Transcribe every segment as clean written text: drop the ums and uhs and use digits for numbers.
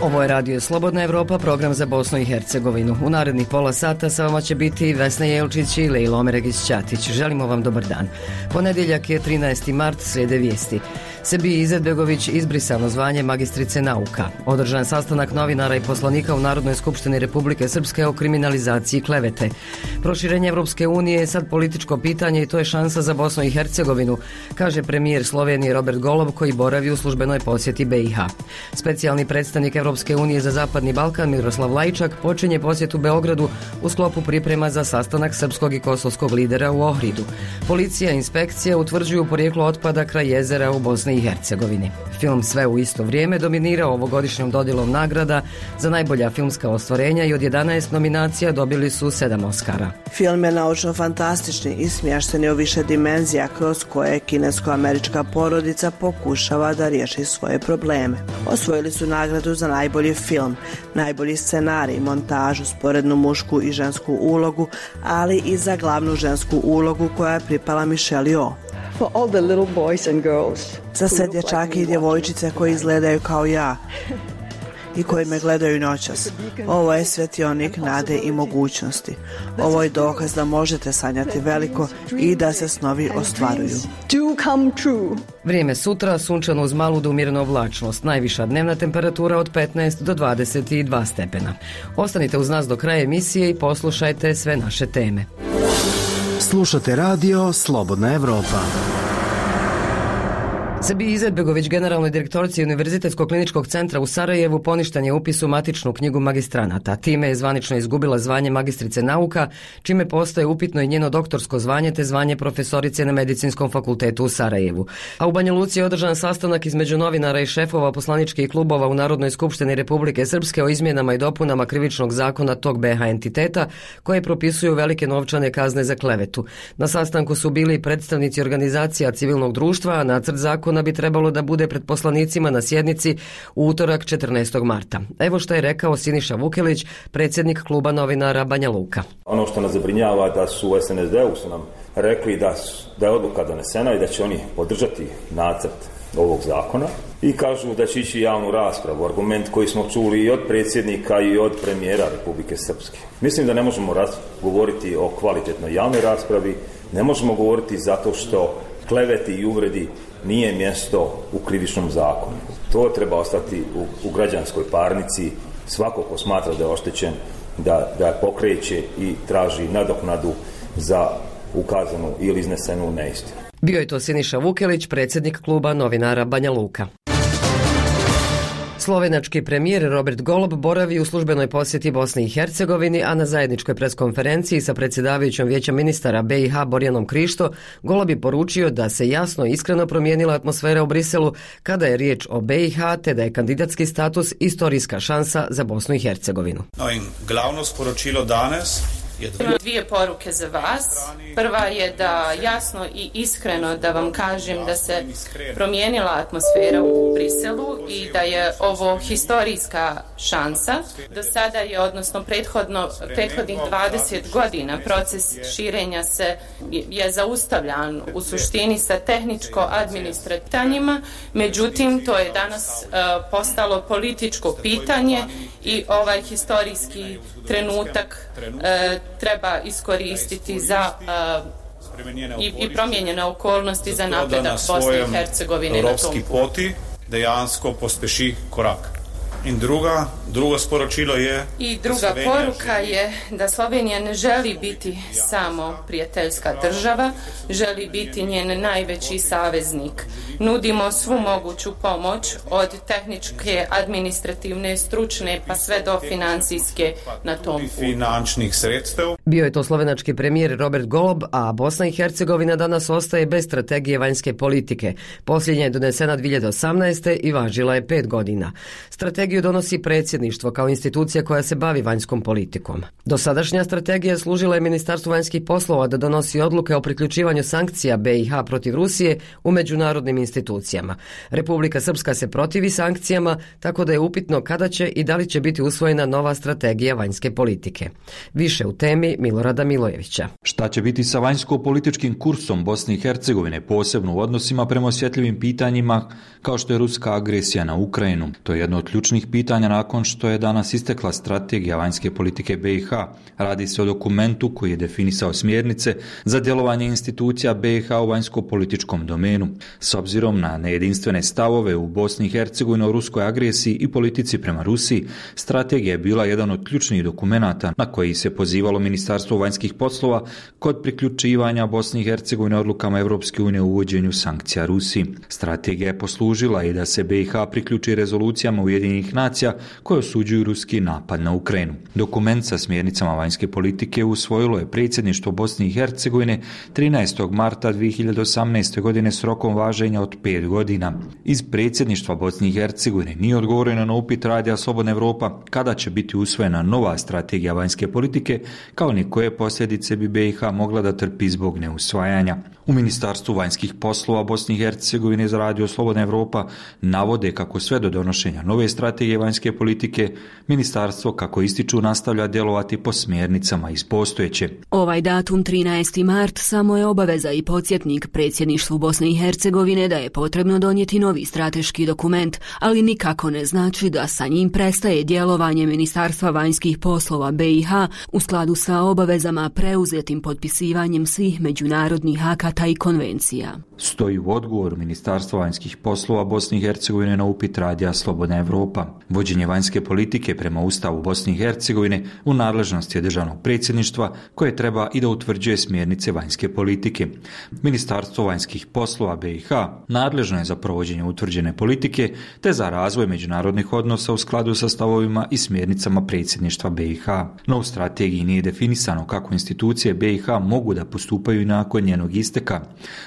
Ovo je Radio Slobodna Evropa, program za Bosnu i Hercegovinu. U narednih pola sata sa vama će biti Vesna Jelčić i Lejla Omeregić-Ćatić. Želimo vam dobar dan. Ponedjeljak je 13. mart, slijede vijesti. Sebiji Izetbegović izbrisano zvanje magistrice nauka. Održan sastanak novinara i poslanika u Narodnoj skupštini Republike Srpske o kriminalizaciji klevete. Proširenje Evropske unije je sad političko pitanje i to je šansa za Bosnu i Hercegovinu, kaže premijer Slovenije Robert Golob koji boravi u službenoj posjeti BiH. Specijalni predstavnik Evropske unije za Zapadni Balkan Miroslav Lajčak počinje posjet u Beogradu u sklopu priprema za sastanak srpskog i kosovskog lidera u Ohridu. Policija i inspekcija utvrđuju porijeklo otpada kraj jezera u Bosni i Hercegovini. Film Sve u isto vrijeme dominirao ovogodišnjom dodjelom nagrada za najbolja filmska ostvarenja i od 11 nominacija dobili su 7 Oscara. Film je naučno-fantastični i smješten je u više dimenzija kroz koje kinesko-američka porodica pokušava da riješi svoje probleme. Osvojili su nagradu za najbolji film, najbolji scenarij, montažu, sporednu mušku i žensku ulogu, ali i za glavnu žensku ulogu koja je pripala Michelle Yeoh. Za sve dječake i djevojčice koji izgledaju kao ja i koji me gledaju noćas. Ovo je svetionik nade i mogućnosti. Ovo je dokaz da možete sanjati veliko i da se snovi ostvaruju. Vrijeme sutra, sunčano uz malu do umjerenu oblačnost. Najviša dnevna temperatura od 15 do 22 stepena. Ostanite uz nas do kraja emisije i poslušajte sve naše teme. Slušate radio Slobodna Evropa. Sebiji Izetbegović, generalnoj direktorici Univerzitetskog kliničkog centra u Sarajevu, poništen je upis u matičnu knjigu magistranata. Time je zvanično izgubila zvanje magistrice nauka, čime postaje upitno i njeno doktorsko zvanje te zvanje profesorice na Medicinskom fakultetu u Sarajevu. A u Banja Luci je održan sastanak između novinara i šefova poslaničkih klubova u Narodnoj skupštini Republike Srpske o izmjenama i dopunama krivičnog zakona tog BiH entiteta koje propisuju velike novčane kazne za klevetu. Na sastanku su bili predstavnici organizacija civilnog društva, a nacrt zakona bi trebalo da bude pred poslanicima na sjednici u utorak 14. marta. Evo što je rekao Siniša Vukelić, predsjednik kluba novinara Banja Luka. Ono što nas zabrinjava da su u SNSD-u su nam rekli da je odluka donesena i da će oni podržati nacrt ovog zakona i kažu da će ići javnu raspravu, argument koji smo čuli i od predsjednika i od premijera Republike Srpske. Mislim da ne možemo govoriti o kvalitetnoj javnoj raspravi, ne možemo govoriti zato što kleveti i uvredi nije mjesto u krivičnom zakonu. To treba ostati u građanskoj parnici. Svako ko smatra da je oštećen, da pokreće i traži nadoknadu za ukazanu ili iznesenu neistinu. Bio je to Siniša Vukelić, predsjednik kluba novinara Banja Luka. Slovenački premijer Robert Golob boravi u službenoj posjeti Bosni i Hercegovini, a na zajedničkoj preskonferenciji sa predsjedavajućom vijeća ministara BiH Borjanom Krišto, Golob je poručio da se jasno i iskreno promijenila atmosfera u Briselu kada je riječ o BiH, te da je kandidatski status istorijska šansa za Bosnu i Hercegovinu. Glavno sporočilo danas imam dvije poruke za vas. Prva je da jasno i iskreno da vam kažem da se promijenila atmosfera u Briselu i da je ovo historijska šansa. Do sada je, odnosno prethodnih 20 godina proces širenja je zaustavljan u suštini sa tehničko-administrativnima, međutim to je danas postalo političko pitanje i ovaj historijski trenutak treba iskoristiti za i promijenjene okolnosti za napredak Bosne i Hercegovine na tom poti dejansko pospeši korak. In drugo sporočilo je... I druga poruka je da Slovenija ne želi biti samo prijateljska država, želi biti njen najveći saveznik. Nudimo svu moguću pomoć od tehničke, administrativne, stručne pa sve do financijske na tom finančnih sredstev. Bio je to slovenački premijer Robert Golob, a Bosna i Hercegovina danas ostaje bez strategije vanjske politike. Posljednja je donesena 2018. i važila je 5 godina. Strategija strategiju donosi predsjedništvo kao institucija koja se bavi vanjskom politikom. Dosadašnja strategija služila je Ministarstvu vanjskih poslova da donosi odluke o priključivanju sankcija BiH protiv Rusije u međunarodnim institucijama. Republika Srpska se protivi sankcijama, tako da je upitno kada će i da li će biti usvojena nova strategija vanjske politike. Više u temi Milorada Milojevića. Šta će biti sa vanjsko-političkim kursom Bosne i Hercegovine, posebno u odnosima prema osjetljivim pitanjima kao što je ruska agresija na Ukrajinu? To je jedno od ključnih pitanja nakon što je danas istekla strategija vanjske politike BiH. Radi se o dokumentu koji je definisao smjernice za djelovanje institucija BiH u vanjsko-političkom domenu. S obzirom na nejedinstvene stavove u Bosni i Hercegovini o ruskoj agresiji i politici prema Rusiji, strategija je bila jedan od ključnih dokumenata na koji se pozivalo Ministarstvo vanjskih poslova kod priključivanja Bosne i Hercegovine odlukama Europske unije u uvođenju sankcija Rusiji. Strategija je poslužila i da se BiH priključi rezolucijama Ujedinjenih nacija koje osuđuju ruski napad na Ukrajinu. Dokument sa smjernicama vanjske politike usvojilo je predsjedništvo Bosne i Hercegovine 13. marta 2018. godine s rokom važenja od 5 godina. Iz predsjedništva Bosne i Hercegovine nije odgovoreno na upit Radija Slobodna Evropa kada će biti usvojena nova strategija vanjske politike, kao ni koje posljedice bi BiH mogla da trpi zbog neusvajanja. U Ministarstvu vanjskih poslova Bosne i Hercegovine za Radio Slobodna Evropa navode kako sve do donošenja nove strategije vanjske politike, ministarstvo, kako ističu, nastavlja djelovati po smjernicama iz postojeće. Ovaj datum 13. mart samo je obaveza i podsjetnik predsjedništvu Bosne i Hercegovine da je potrebno donijeti novi strateški dokument, ali nikako ne znači da sa njim prestaje djelovanje Ministarstva vanjskih poslova BiH u skladu sa obavezama preuzetim potpisivanjem svih međunarodnih akata i konvencija. Stoji u odgovoru Ministarstva vanjskih poslova Bosne i Hercegovine na upit Radija Slobodna Evropa. Vođenje vanjske politike prema Ustavu Bosne i Hercegovine u nadležnosti je državnog predsjedništva koje treba i da utvrđuje smjernice vanjske politike. Ministarstvo vanjskih poslova BiH nadležno je za provođenje utvrđene politike te za razvoj međunarodnih odnosa u skladu sa stavovima i smjernicama predsjedništva BiH. No u strategiji nije definisano kako institucije BiH mogu da postupaju nakon njenog isteka.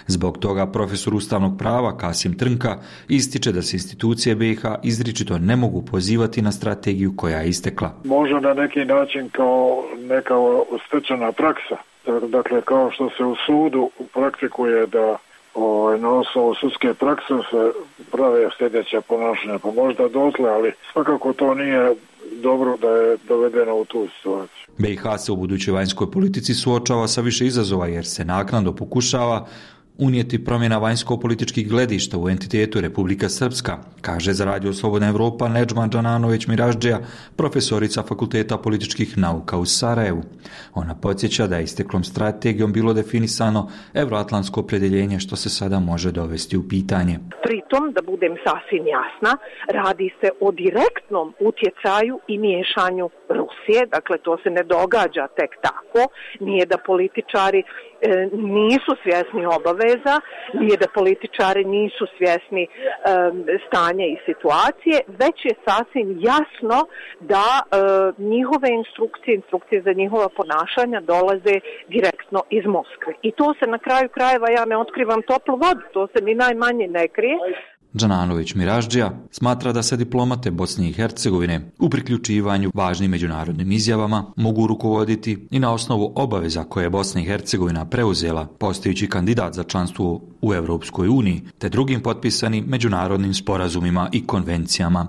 Zbog toga profesor ustavnog prava Kasim Trnka ističe da se institucije BiH izričito ne mogu pozivati na strategiju koja je istekla. Možda na neki način kao neka stečena praksa. Dakle, kao što se u sudu praktikuje da na osnovu sudske prakse se prave sljedeća ponašanja, pa možda dotle, ali svakako to nije dobro da je dovedeno u tu situaciju. BiH se u budućoj vanjskoj politici suočava sa više izazova jer se naknadno pokušava unijeti promjena vanjsko-političkih gledišta u entitetu Republika Srpska, kaže za Radio Slobodna Evropa Nedžma Džananović Miraždžija, profesorica Fakulteta političkih nauka u Sarajevu. Ona podsjeća da je isteklom strategijom bilo definisano evroatlantsko opredjeljenje što se sada može dovesti u pitanje. Pritom, da budem sasvim jasna, radi se o direktnom utjecaju i miješanju Rusije, dakle to se ne događa tek tako, nije da političari nisu svjesni obaveza, nije da političari nisu svjesni stanja i situacije, već je sasvim jasno da njihove instrukcije za njihova ponašanja dolaze direktno iz Moskve. I to se na kraju krajeva, ja ne otkrivam toplu vodu, to se ni najmanje ne krije. Džananović Miraždžija smatra da se diplomate Bosne i Hercegovine u priključivanju važnim međunarodnim izjavama mogu rukovoditi i na osnovu obaveza koje je Bosna i Hercegovina preuzela postajući kandidat za članstvo u Europskoj uniji te drugim potpisanim međunarodnim sporazumima i konvencijama.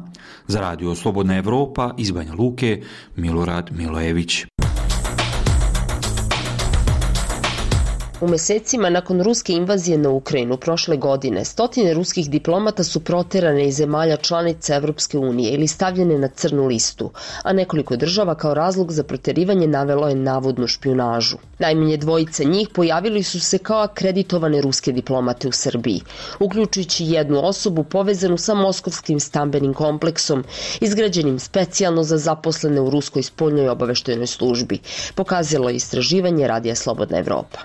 Za Radio Slobodna Evropa iz Banja Luke, Milorad Milojević. U mjesecima nakon ruske invazije na Ukrajinu prošle godine, stotine ruskih diplomata su proterane iz zemalja članica Europske unije ili stavljene na crnu listu, a nekoliko država kao razlog za protjerivanje navelo je navodnu špijunažu. Najmanje dvojice njih pojavili su se kao akreditovane ruske diplomate u Srbiji, uključujući jednu osobu povezanu sa moskovskim stambenim kompleksom, izgrađenim specijalno za zaposlene u ruskoj spoljnoj obaveštajnoj službi, pokazalo je istraživanje Radija Slobodna Evropa.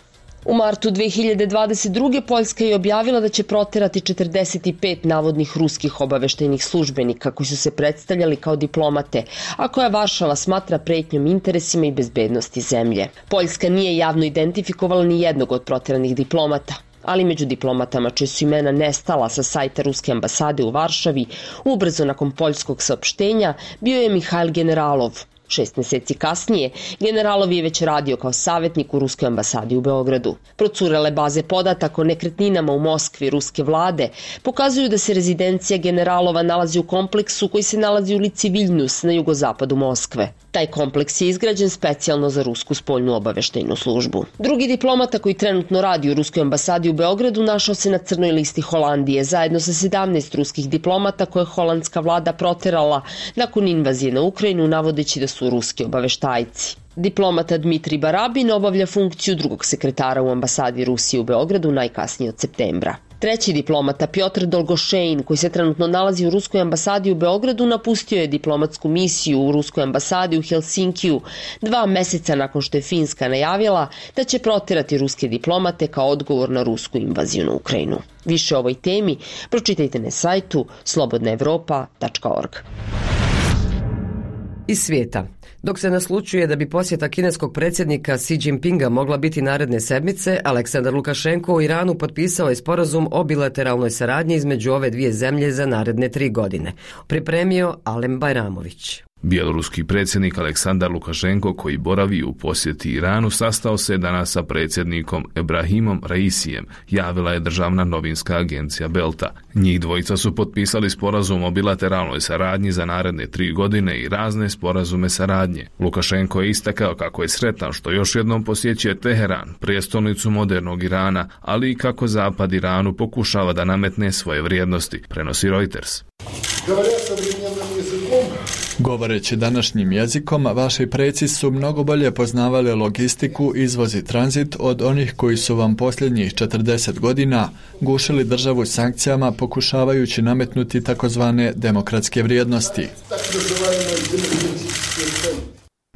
U martu 2022. Poljska je objavila da će proterati 45 navodnih ruskih obaveštajnih službenika koji su se predstavljali kao diplomate, a koja Varšava smatra pretnjom interesima i bezbednosti zemlje. Poljska nije javno identifikovala ni jednog od proteranih diplomata, ali među diplomatama čije su imena nestala sa sajta Ruske ambasade u Varšavi ubrzo nakon poljskog saopštenja bio je Mihajl Generalov. 6 meseci kasnije, Generalov je već radio kao savjetnik u Ruskoj ambasadi u Beogradu. Procurele baze podataka o nekretninama u Moskvi ruske vlade pokazuju da se rezidencija Generalova nalazi u kompleksu koji se nalazi u ulici Viljnus na jugozapadu Moskve. Taj kompleks je izgrađen specijalno za rusku spoljnu obaveštajnu službu. Drugi diplomata koji trenutno radi u Ruskoj ambasadi u Beogradu našao se na crnoj listi Holandije, zajedno sa 17 ruskih diplomata koje je holandska vlada proterala nakon invazije na Ukrajinu, navodeći da su ruski obaveštajci. Diplomata Dmitri Barabin obavlja funkciju drugog sekretara u ambasadi Rusije u Beogradu najkasnije od septembra. Treći diplomata Piotr Dolgošein, koji se trenutno nalazi u Ruskoj ambasadi u Beogradu, napustio je diplomatsku misiju u Ruskoj ambasadi u Helsinkiju 2 meseca nakon što je Finska najavila da će proterati ruske diplomate kao odgovor na rusku invaziju na Ukrajinu. Više o ovoj temi pročitajte na sajtu slobodnaevropa.org. Iz svijeta. Dok se naslučuje da bi posjeta kineskog predsjednika Xi Jinpinga mogla biti naredne sedmice, Aleksandar Lukašenko u Iranu potpisao je sporazum o bilateralnoj saradnji između ove dvije zemlje za naredne 3 godine. Pripremio Alem Bajramović. Bjeloruski predsjednik Aleksandar Lukašenko, koji boravi u posjeti Iranu, sastao se danas sa predsjednikom Ebrahimom Raisijem, javila je državna novinska agencija Belta. Njih dvojica su potpisali sporazum o bilateralnoj saradnji za naredne 3 godine i razne sporazume saradnje. Lukašenko je istakao kako je sretan što još jednom posjećuje Teheran, prijestolnicu modernog Irana, ali i kako Zapad Iranu pokušava da nametne svoje vrijednosti, prenosi Reuters. Govoreći današnjim jezikom, vaši preci su mnogo bolje poznavali logistiku, izvoz i tranzit od onih koji su vam posljednjih 40 godina gušili državu sankcijama pokušavajući nametnuti takozvane demokratske vrijednosti.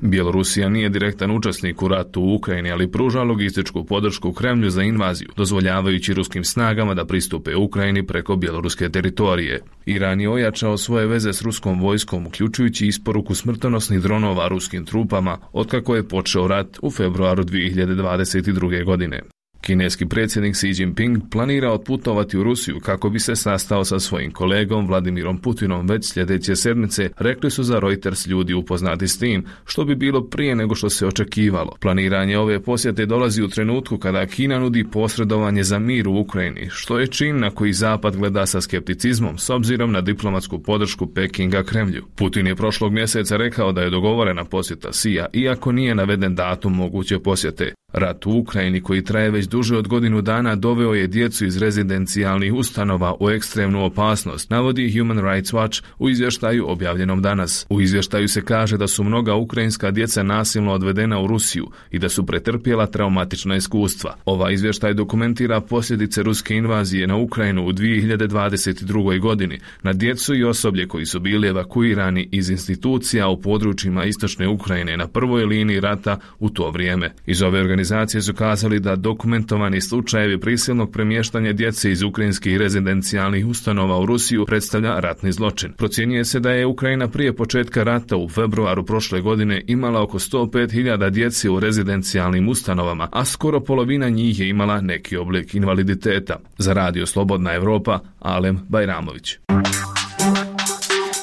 Bjelorusija nije direktan učesnik u ratu u Ukrajini, ali pruža logističku podršku Kremlju za invaziju, dozvoljavajući ruskim snagama da pristupe Ukrajini preko bjeloruske teritorije. Iran je ojačao svoje veze s ruskom vojskom, uključujući isporuku smrtonosnih dronova ruskim trupama, otkako je počeo rat u februaru 2022. godine. Kineski predsjednik Xi Jinping planira otputovati u Rusiju kako bi se sastao sa svojim kolegom Vladimirom Putinom već sljedeće sedmice, rekli su za Reuters ljudi upoznati s tim, što bi bilo prije nego što se očekivalo. Planiranje ove posjete dolazi u trenutku kada Kina nudi posredovanje za mir u Ukrajini, što je čin na koji Zapad gleda sa skepticizmom s obzirom na diplomatsku podršku Pekinga Kremlju. Putin je prošlog mjeseca rekao da je dogovorena posjeta Xija, iako nije naveden datum moguće posjete. Rat u Ukrajini, koji traje već duže od godinu dana, doveo je djecu iz rezidencijalnih ustanova u ekstremnu opasnost, navodi Human Rights Watch u izvještaju objavljenom danas. U izvještaju se kaže da su mnoga ukrajinska djeca nasilno odvedena u Rusiju i da su pretrpjela traumatična iskustva. Ovaj izvještaj dokumentira posljedice ruske invazije na Ukrajinu u 2022. godini na djecu i osoblje koji su bili evakuirani iz institucija u područjima istočne Ukrajine na prvoj liniji rata u to vrijeme. Iz ove organizacije su kazali da dokumentovani slučajevi prisilnog premještanja djece iz ukrajinskih rezidencijalnih ustanova u Rusiju predstavlja ratni zločin. Procjenjuje se da je Ukrajina prije početka rata u februaru prošle godine imala oko 105.000 djece u rezidencijalnim ustanovama, a skoro polovina njih je imala neki oblik invaliditeta. Za Radio Slobodna Evropa, Alem Bajramović.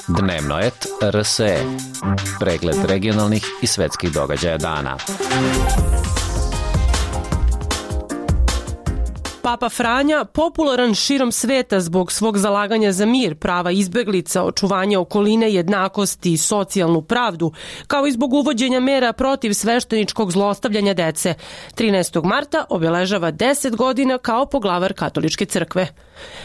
Dnevno et RSE. Pregled regionalnih i svetskih događaja dana. Papa Franja, popularan širom sveta zbog svog zalaganja za mir, prava izbeglica, očuvanje okoline, jednakosti i socijalnu pravdu, kao i zbog uvođenja mera protiv svešteničkog zlostavljanja dece, 13. marta obeležava 10 godina kao poglavar katoličke crkve.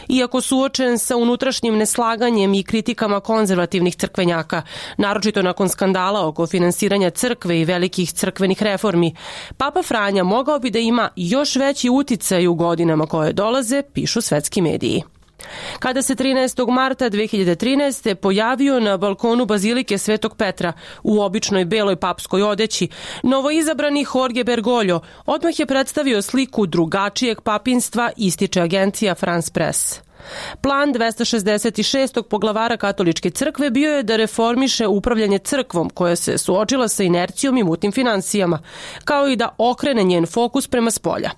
Iako suočen sa unutrašnjim neslaganjem i kritikama konzervativnih crkvenjaka, naročito nakon skandala oko finansiranja crkve i velikih crkvenih reformi, Papa Franja mogao bi da ima još veći uticaj u godinama koje dolaze, pišu svetski mediji. Kada se 13. marta 2013. pojavio na balkonu Bazilike Svetog Petra u običnoj beloj papskoj odeći, novoizabrani Jorge Bergoglio odmah je predstavio sliku drugačijeg papinstva, ističe agencija France Press. Plan 266. poglavara katoličke crkve bio je da reformiše upravljanje crkvom koja se suočila sa inercijom i mutnim finansijama, kao i da okrene njen fokus prema spolja.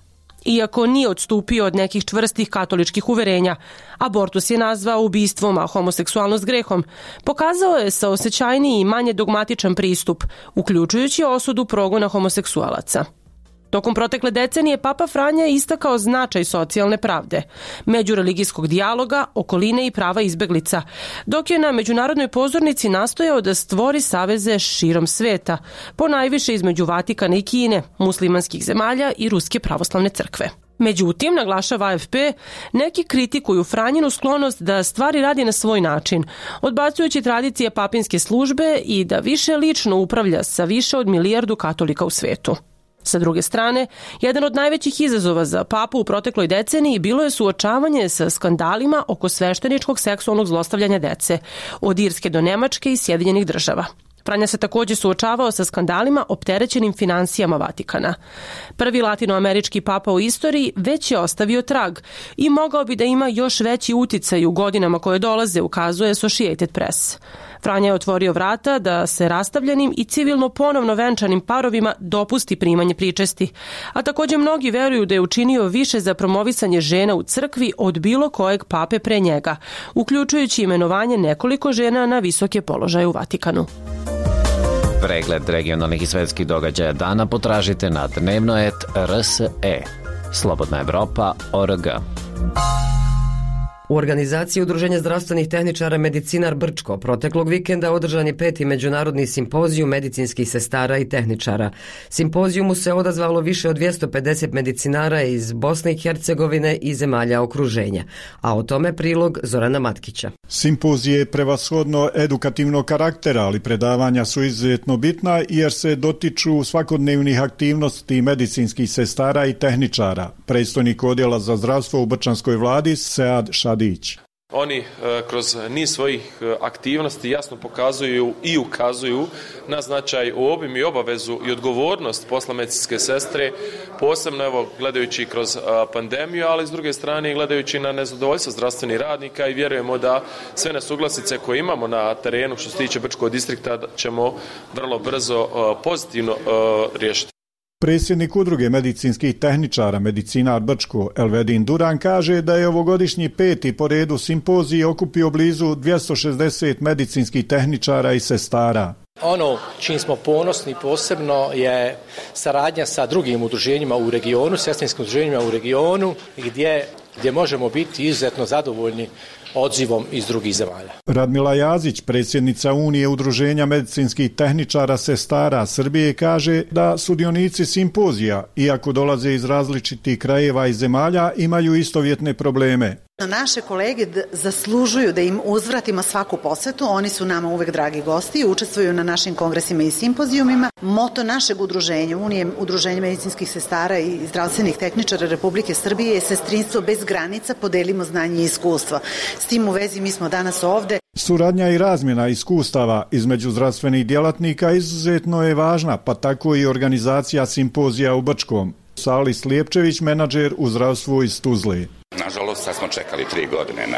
iako nije odstupio od nekih čvrstih katoličkih uverenja. Abortus je nazvao ubistvom, a homoseksualnost grehom. Pokazao je saosećajniji i manje dogmatičan pristup, uključujući osudu progona homoseksualaca. Tokom protekle decenije Papa Franja je istakao značaj socijalne pravde, međureligijskog dijaloga, okoline i prava izbeglica, dok je na međunarodnoj pozornici nastojao da stvori saveze širom sveta, ponajviše između Vatikana i Kine, muslimanskih zemalja i Ruske pravoslavne crkve. Međutim, naglašava AFP, neki kritikuju Franjinu sklonost da stvari radi na svoj način, odbacujući tradicije papinske službe i da više lično upravlja sa više od 1 milijardu katolika u svetu. Sa druge strane, jedan od najvećih izazova za papu u protekloj deceniji bilo je suočavanje sa skandalima oko svešteničkog seksualnog zlostavljanja dece, od Irske do Nemačke i Sjedinjenih Država. Franja se također suočavao sa skandalima opterećenim finansijama Vatikana. Prvi latinoamerički papa u istoriji već je ostavio trag i mogao bi da ima još veći uticaj u godinama koje dolaze, ukazuje Associated Press. Franja je otvorio vrata da se rastavljenim i civilno ponovno venčanim parovima dopusti primanje pričesti, a također mnogi veruju da je učinio više za promovisanje žena u crkvi od bilo kojeg pape pre njega, uključujući imenovanje nekoliko žena na visoke položaje u Vatikanu. Pregled regionalnih i svetskih događaja dana potražite na dnevnoet.rse. Slobodna Evropa.org. U organizaciji Udruženja zdravstvenih tehničara Medicinar Brčko proteklog vikenda održan je 5. međunarodni simpozijum medicinskih sestara i tehničara. Simpozijumu se odazvalo više od 250 medicinara iz Bosne i Hercegovine i zemalja okruženja, a o tome prilog Zorana Matkića. Simpozij je prevashodno edukativnog karaktera, ali predavanja su izuzetno bitna jer se dotiču svakodnevnih aktivnosti medicinskih sestara i tehničara. Predstojnik odjela za zdravstvo u Brčanskoj vladi Sead Šadić. Oni kroz niz svojih aktivnosti jasno pokazuju i ukazuju na značaj, obim i obavezu i odgovornost posla medicinske sestre, posebno evo gledajući kroz pandemiju, ali s druge strane gledajući na nezadovoljstvo zdravstvenih radnika i vjerujemo da sve nesuglasice koje imamo na terenu što se tiče Brčkog distrikta ćemo vrlo brzo pozitivno riješiti. Predsjednik udruge medicinskih tehničara Medicinar Brčko Elvedin Duran kaže da je ovogodišnji 5. po redu simpozij okupio blizu 260 medicinskih tehničara i sestara. Ono čim smo ponosni posebno je saradnja sa drugim udruženjima u regionu, sestrinskim udruženjima u regionu gdje možemo biti izuzetno zadovoljni odzivom iz drugih zemalja. Radmila Jazić, predsjednica Unije udruženja medicinskih tehničara sestara Srbije, kaže da sudionici simpozija, iako dolaze iz različitih krajeva i zemalja, imaju istovjetne probleme. Naše kolege zaslužuju da im uzvratimo svaku posvetu, oni su nama uvek dragi gosti i učestvuju na našim kongresima i simpozijumima. Moto našeg udruženja, Unije udruženja medicinskih sestara i zdravstvenih tehničara Republike Srbije je sestrinstvo bez granica, podelimo znanje i iskustvo. S tim u vezi mi smo danas ovde. Suradnja i razmjena iskustava između zdravstvenih djelatnika izuzetno je važna, pa tako i organizacija simpozija u Brčkom. Sali Slijepčević, menadžer u zdravstvu iz Tuzle. Nažalost, sad smo čekali 3 godine na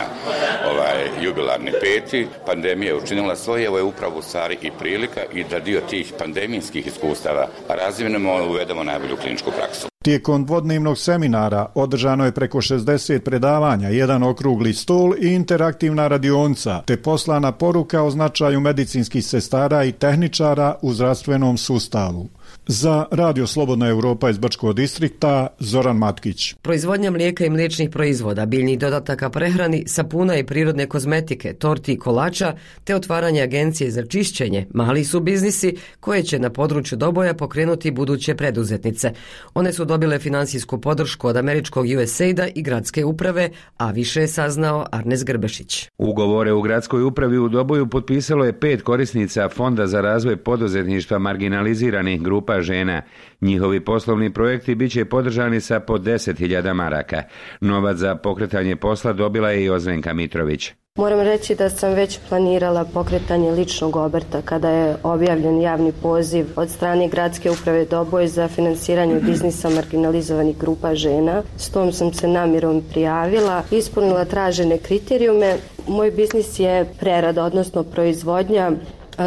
jubilarni 5. Pandemija je učinila svoje, ovo je upravo u stvari i prilika i da dio tih pandemijskih iskustava razvijemo i uvedemo najbolju kliničku praksu. Tijekom dvodnevnog seminara održano je preko 60 predavanja, jedan okrugli stol i interaktivna radionica, te poslana poruka o značaju medicinskih sestara i tehničara u zdravstvenom sustavu. Za Radio Slobodna Evropa iz Brčkog distrikta, Zoran Matkić. Proizvodnja mlijeka i mliječnih proizvoda, biljnih dodataka prehrani, sapuna i prirodne kozmetike, torti i kolača, te otvaranje agencije za čišćenje, mali su biznisi koje će na području Doboja pokrenuti buduće preduzetnice. One su dobile finansijsku podršku od američkog USAID-a i gradske uprave, a više je saznao Arnes Grbešić. Ugovore u gradskoj upravi u Doboju potpisalo je 5 korisnica Fonda za razvoj poduzetništva marginaliziranih grupa žena. Njihovi poslovni projekti bit će podržani sa po 10.000 maraka. Novac za pokretanje posla dobila je i Ozrenka Mitrović. Moram reći da sam već planirala pokretanje ličnog obrta kada je objavljen javni poziv od strane gradske uprave Doboj za finansiranje biznisa marginalizovanih grupa žena. S tom sam se namjerom prijavila, ispunila tražene kriterijume. Moj biznis je prerada, odnosno proizvodnja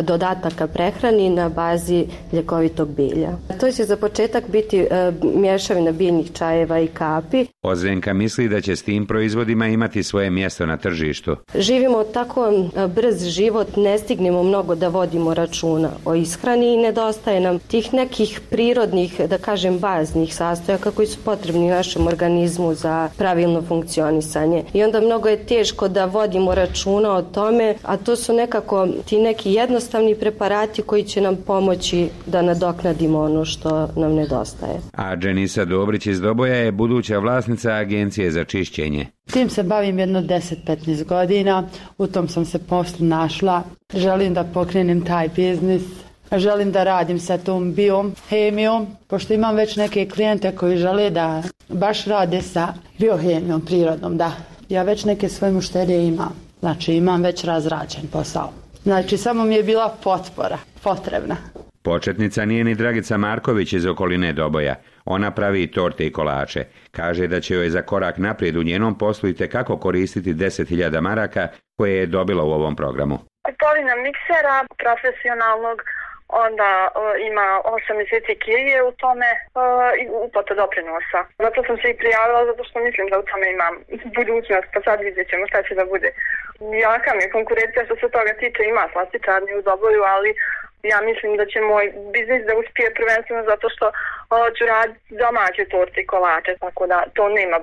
dodataka prehrani na bazi ljekovitog bilja. To će za početak biti mješavina biljnih čajeva i kapi. Ozrenka misli da će s tim proizvodima imati svoje mjesto na tržištu. Živimo tako brz život, ne stignemo mnogo da vodimo računa o ishrani i nedostaje nam tih nekih prirodnih, da kažem, baznih sastojaka koji su potrebni našem organizmu za pravilno funkcionisanje. I onda mnogo je teško da vodimo računa o tome, a to su nekako ti neki jednostavni preparati koji će nam pomoći da nadoknadimo ono što nam nedostaje. A Dženisa Dobrić iz Doboja je buduća vlasnica agencije za čišćenje. Tim se bavim jedno 10-15 godina, u tom sam se poslu našla. Želim da pokrenem taj biznis, želim da radim sa tom biohemijom, pošto imam već neke klijente koji žele da baš rade sa biohemijom prirodnom, da. Ja već neke svoje mušterije imam, znači imam već razrađen posao. Znači samo mi je bila potpora, potrebna. Početnica nije ni Dragica Marković iz okoline Doboja. Ona pravi torte i kolače. Kaže da će joj za korak naprijed u njenom poslu itekako koristiti 10.000 maraka koje je dobila u ovom programu. Kupovina miksera profesionalnog, onda ima 8 mjeseci kirije u tome i uplata doprinosa. Zato sam se i prijavila, zato što mislim da u tome imam budućnost, pa sad vidjet ćemo šta će da bude. Jaka mi je konkurencija što se toga tiče, ima slastičarni u Doboju, ali ja mislim da će moj biznis da uspije prvenstveno zato što ću raditi domaće torte i kolače, tako da to nema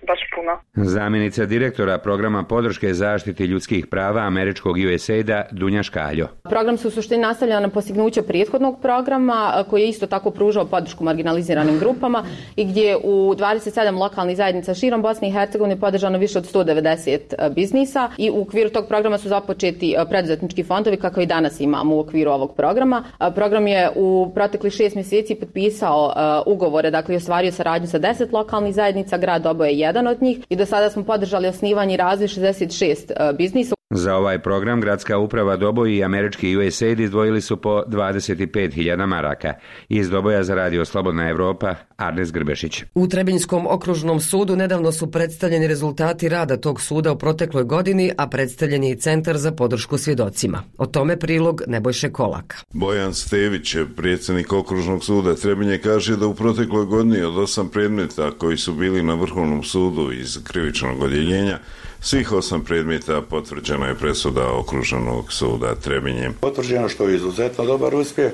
baš puno. Zamjenica direktora programa podrške zaštiti ljudskih prava američkog USAID-a Dunja Škaljo. Program se u suštini nastavlja na postignuće prethodnog programa koji je isto tako pružao podršku marginaliziranim grupama i gdje u 27 lokalnih zajednica širom Bosne i Hercegovine podržano više od 190 biznisa i u okviru tog programa su započeti preduzetnički fondovi kako i danas imamo u okviru ovog programa. Program je u proteklih 6 mjeseci potpisao ugovore, dakle ostvario saradnju sa 10 lokalnih zajednica, grad Doboj je jedan od njih i do sada smo podržali osnivanje i razvoj 66 biznisa. Za ovaj program gradska uprava Doboj i američki USAID izdvojili su po 25.000 maraka. Iz Doboja za Radio Slobodna Evropa, Arnes Grbešić. U Trebinjskom okružnom sudu nedavno su predstavljeni rezultati rada tog suda u protekloj godini, a predstavljen je i Centar za podršku svjedocima. O tome prilog Nebojše Kolaka. Bojan Stević, predsjednik okružnog suda Trebinje, kaže da u protekloj godini od 8 predmeta koji su bili na Vrhovnom sudu iz krivičnog odjeljenja, svih 8 predmeta potvrđena je presuda okruženog suda Trebinje. Potvrđeno što je izuzetno dobar uspjeh,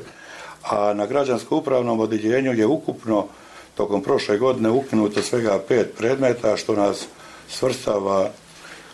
a na građansko-upravnom odjeljenju je ukupno tokom prošle godine ukinuto svega 5 predmeta, što nas svrstava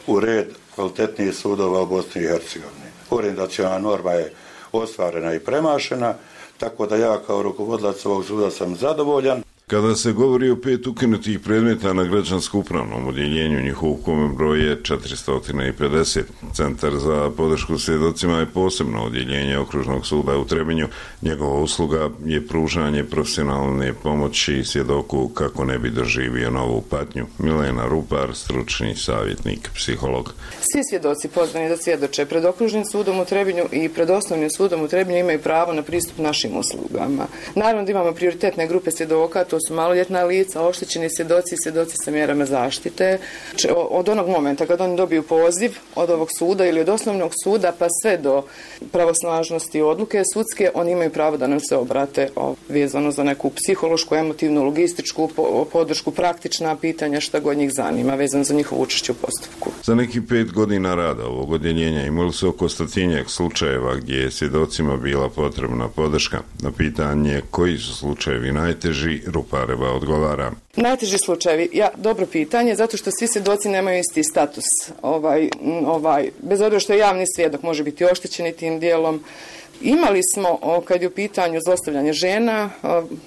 u red kvalitetnijih sudova u Bosni i Hercegovini. Orijentaciona norma je ostvarena i premašena, tako da ja kao rukovodilac ovog suda sam zadovoljan. Kada se govori o 5 ukinutih predmeta na građansko-upravnom odjeljenju, njihov ukupan broj je 450. Centar za podršku svjedocima je posebno odjeljenje okružnog suda u Trebinju. Njegova usluga je pružanje profesionalne pomoći svjedoku kako ne bi doživio novu patnju. Milena Rupar, stručni savjetnik, psiholog. Svi svjedoci pozvani da svjedoče pred okružnim sudom u Trebinju i pred osnovnim sudom u Trebinju imaju pravo na pristup našim uslugama. Naravno da imamo prioritetne grupe svjedoka, to su maloljetna lica, oštećeni svjedoci i svjedoci sa mjerama zaštite. Od onog momenta kad oni dobiju poziv od ovog suda ili od osnovnog suda pa sve do pravosnažnosti odluke sudske, oni imaju pravo da nam se obrate vezano za neku psihološku, emotivnu, logističku podršku, praktična pitanja, šta god njih zanima, vezano za njihovo učešće u postupku. Za nekih 5 godina rada ovog odjeljenja imali su oko 100-tinjak slučajeva gdje je svjedocima bila potrebna podrška. Na pitanje koji su slučajevi najteži, Rupareva odgovara. Najteži slučajevi, dobro pitanje, zato što svi svjedoci nemaju isti status. Bez obzira što je javni svjedok, može biti oštećeni tim dijelom. Imali smo, kad je u pitanju zlostavljanje žena,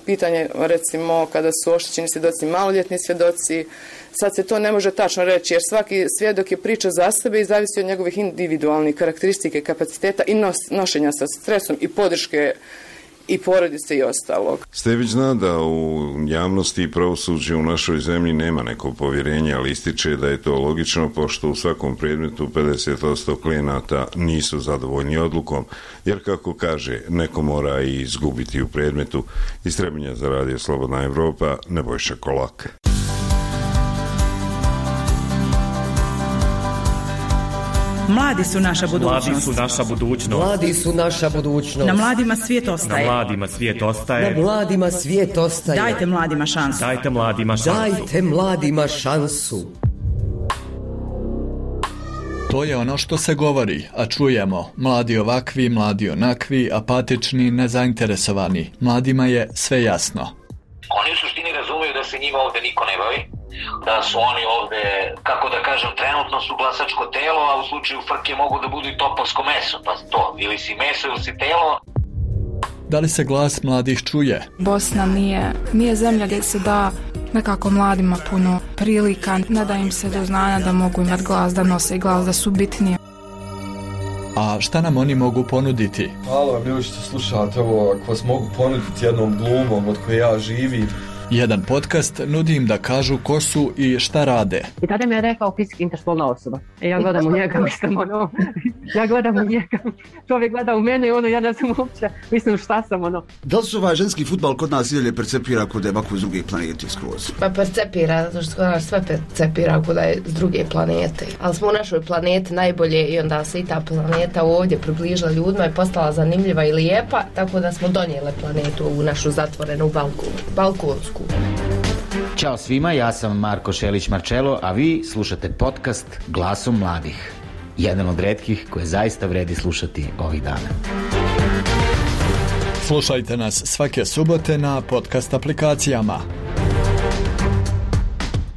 pitanje recimo kada su oštećeni svjedoci maloljetni svjedoci, sad se to ne može tačno reći jer svaki svjedok je priča za sebe i zavisi od njegovih individualnih karakteristike, kapaciteta i nošenja sa stresom i podrške i porodice i ostalog. Stević zna da u javnosti i pravosuđe u našoj zemlji nema neko povjerenje, ali ističe da je to logično pošto u svakom predmetu 50% klijenata nisu zadovoljni odlukom, jer kako kaže, neko mora i izgubiti u predmetu. Iz Trebinja za Radio Slobodna Evropa, Nebojša Kolak. Mladi su naša budućnost. Mladi su naša budućnost. Mladi su naša budućnost. Na mladima svijet ostaje. Na mladima svijet ostaje. Na mladima svijet ostaje. Dajte mladima šansu. Dajte mladima šansu. Dajte mladima šansu. To je ono što se govori, a čujemo. Mladi ovakvi, mladi onakvi, apatični, nezainteresovani. Mladima je sve jasno. Oni u suštini razumiju da se njima ovde niko ne bavi, da su oni ovde, kako da kažem, trenutno su glasačko telo, a u slučaju frke mogu da budu i topovsko meso, pa to, ili si meso ili si telo. Da li se glas mladih čuje? Bosna nije zemlja gdje se da nekako mladima puno prilika, ne da im se do znanja da mogu imati glas, da nose glas, da su bitnije. A šta nam oni mogu ponuditi? Halo, bili ćete slušati ovo, ako vas mogu ponuditi jednom glumom od koje ja živim. Jedan podcast nudi im da kažu ko su i šta rade. I tada mi je rekao fizički interspolna osoba. Ja gledam u njega, ja gledam u njega, čovjek gleda u mene i ja ne znam uopće, mislim šta sam Da li se ovaj ženski fudbal kod nas idalje percepira kod je ovako iz druge planete skroz? Pa percepira, zato što kod nas sve percepira kod je s druge planete. Ali smo u našoj planeti najbolje i onda se i ta planeta ovdje približila ljudima i postala zanimljiva i lijepa, tako da smo donijele planetu u našu zatvorenu balkonsku. Ćao svima, ja sam Marko Šelić-Marčelo, a vi slušate podcast Glasom mladih. Jedan od retkih koje zaista vredi slušati ovih dana. Slušajte nas svake subote na podcast aplikacijama.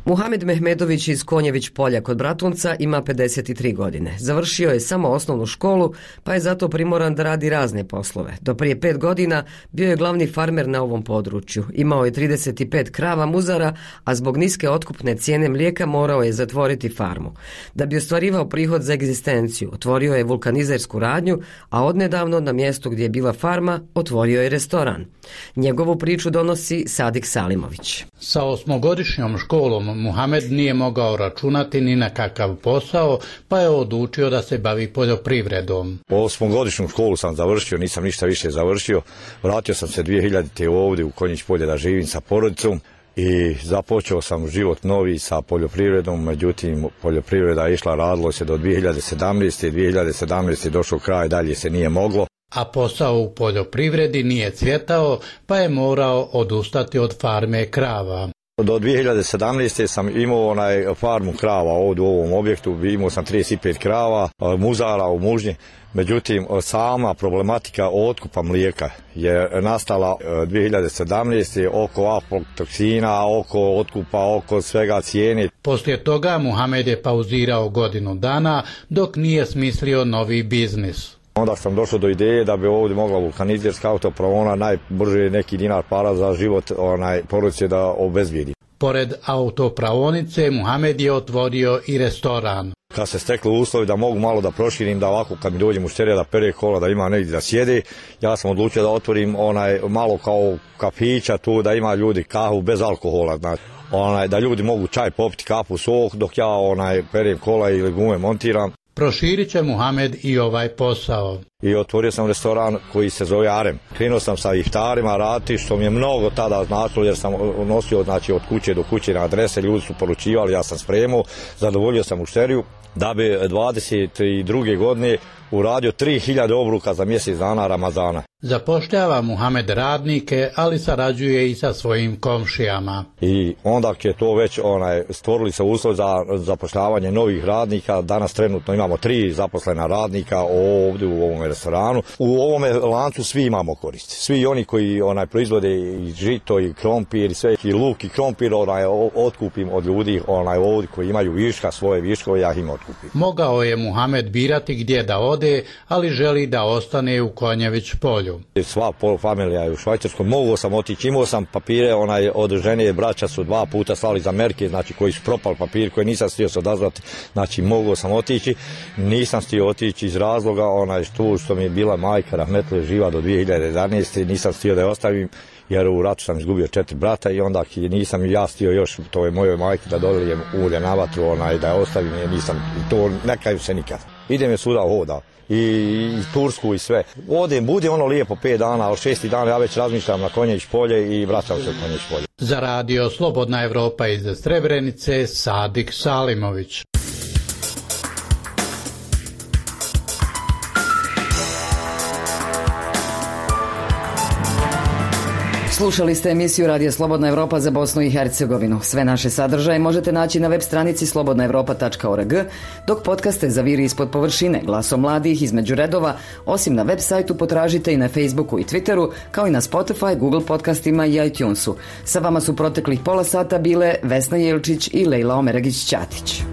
Muhamed Mehmedović iz Konjević polja kod Bratunca ima 53 godine. Završio je samo osnovnu školu, pa je zato primoran da radi razne poslove. Do prije 5 godina bio je glavni farmer na ovom području. Imao je 35 krava muzara, a zbog niske otkupne cijene mlijeka morao je zatvoriti farmu. Da bi ostvarivao prihod za egzistenciju, otvorio je vulkanizersku radnju, a odnedavno na mjestu gdje je bila farma otvorio je restoran. Njegovu priču donosi Sadik Salimović. Sa 8-godišnjom školom Muhamed nije mogao računati ni na kakav posao, pa je odlučio da se bavi poljoprivredom. 8-godišnju školu sam završio, nisam ništa više završio. Vratio sam se 2000. ovdje u Konjić polje da živim sa porodicom i započeo sam život novi sa poljoprivredom, međutim poljoprivreda je išla, radilo se do 2017. 2017. došao kraj, dalje se nije moglo. A posao u poljoprivredi nije cvjetao, pa je morao odustati od farme krava. Do 2017. sam imao farmu krava ovdje u ovom objektu, imao sam 35 krava, muzara u mužnji, međutim sama problematika otkupa mlijeka je nastala 2017. oko aflatoksina, oko otkupa, oko svega cijene. Poslije toga Muhamed je pauzirao godinu dana dok nije smislio novi biznis. Onda sam došao do ideje da bi ovdje mogla vulkanizerska autopravona najbrže neki dinar para za život porodice da obezbijedi. Pored autopravonice Muhamed je otvorio i restoran. Kad se stekli uslovi da mogu malo da proširim, da ovako kad mi dođe mušterija da pere kola, da ima negdje da sjede, ja sam odlučio da otvorim malo kao kafića tu, da ima ljudi kahu bez alkohola, znači. Da ljudi mogu čaj popiti, kafu, sok, dok ja perem kola ili gume montiram. Proširit će Muhamed i ovaj posao. I otvorio sam restoran koji se zove Arem. Krenuo sam sa iftarima raditi, što mi je mnogo tada značilo, jer sam nosio od kuće do kuće na adrese, ljudi su poručivali, ja sam spremao, zadovoljio sam mušteriju, da bi 22. godine uradio 3000 obruka za mjesec dana Ramazana. Zapošljava Muhamed radnike, ali sarađuje i sa svojim komšijama. I onda je to već stvorili se uslov za zapošljavanje novih radnika. Danas trenutno imamo 3 zaposlena radnika ovdje u ovom restoranu. U ovome lancu svi imamo koristi. Svi oni koji proizvode i žito i krompir i sve, i luk i krompir, otkupim od ljudi ovdje koji imaju viška, svoje viškove, ja im otkupim. Mogao je Muhamed birati gdje da ode, ali želi da ostane u Konjević polju. Sva familija je u Švajcarskoj, mogao sam otići, imao sam papire, od žene braća su 2 puta slali za Amerike, znači koji su propali papiri, koji nisam stio se odazvati, znači mogao sam otići, nisam stio otići iz razloga, što mi je bila majka rahmetli živa do 2011. nisam stio da je ostavim, jer u ratu sam izgubio 4 brata i onda nisam ja stio još, to je mojoj majki da dolijem ulje na vatru, da je ostavim, jer nisam, to ne kajem se nikad. Idem je svuda hoda. I Tursku i sve. Ovdje bude lijepo 5 dana, ali 6. dan ja već razmišljam na Konjević polje i vraćam se u Konjević polje. Za radio Slobodna Evropa iz Srebrenice, Sadik Salimović. Slušali ste emisiju Radija Slobodna Evropa za Bosnu i Hercegovinu. Sve naše sadržaje možete naći na web stranici slobodnaevropa.org, dok podcaste zaviri ispod površine Glasom mladih između redova, osim na web sajtu potražite i na Facebooku i Twitteru, kao i na Spotify, Google podcastima i iTunesu. Sa vama su proteklih pola sata bile Vesna Jelčić i Lejla Omeregić-Ćatić.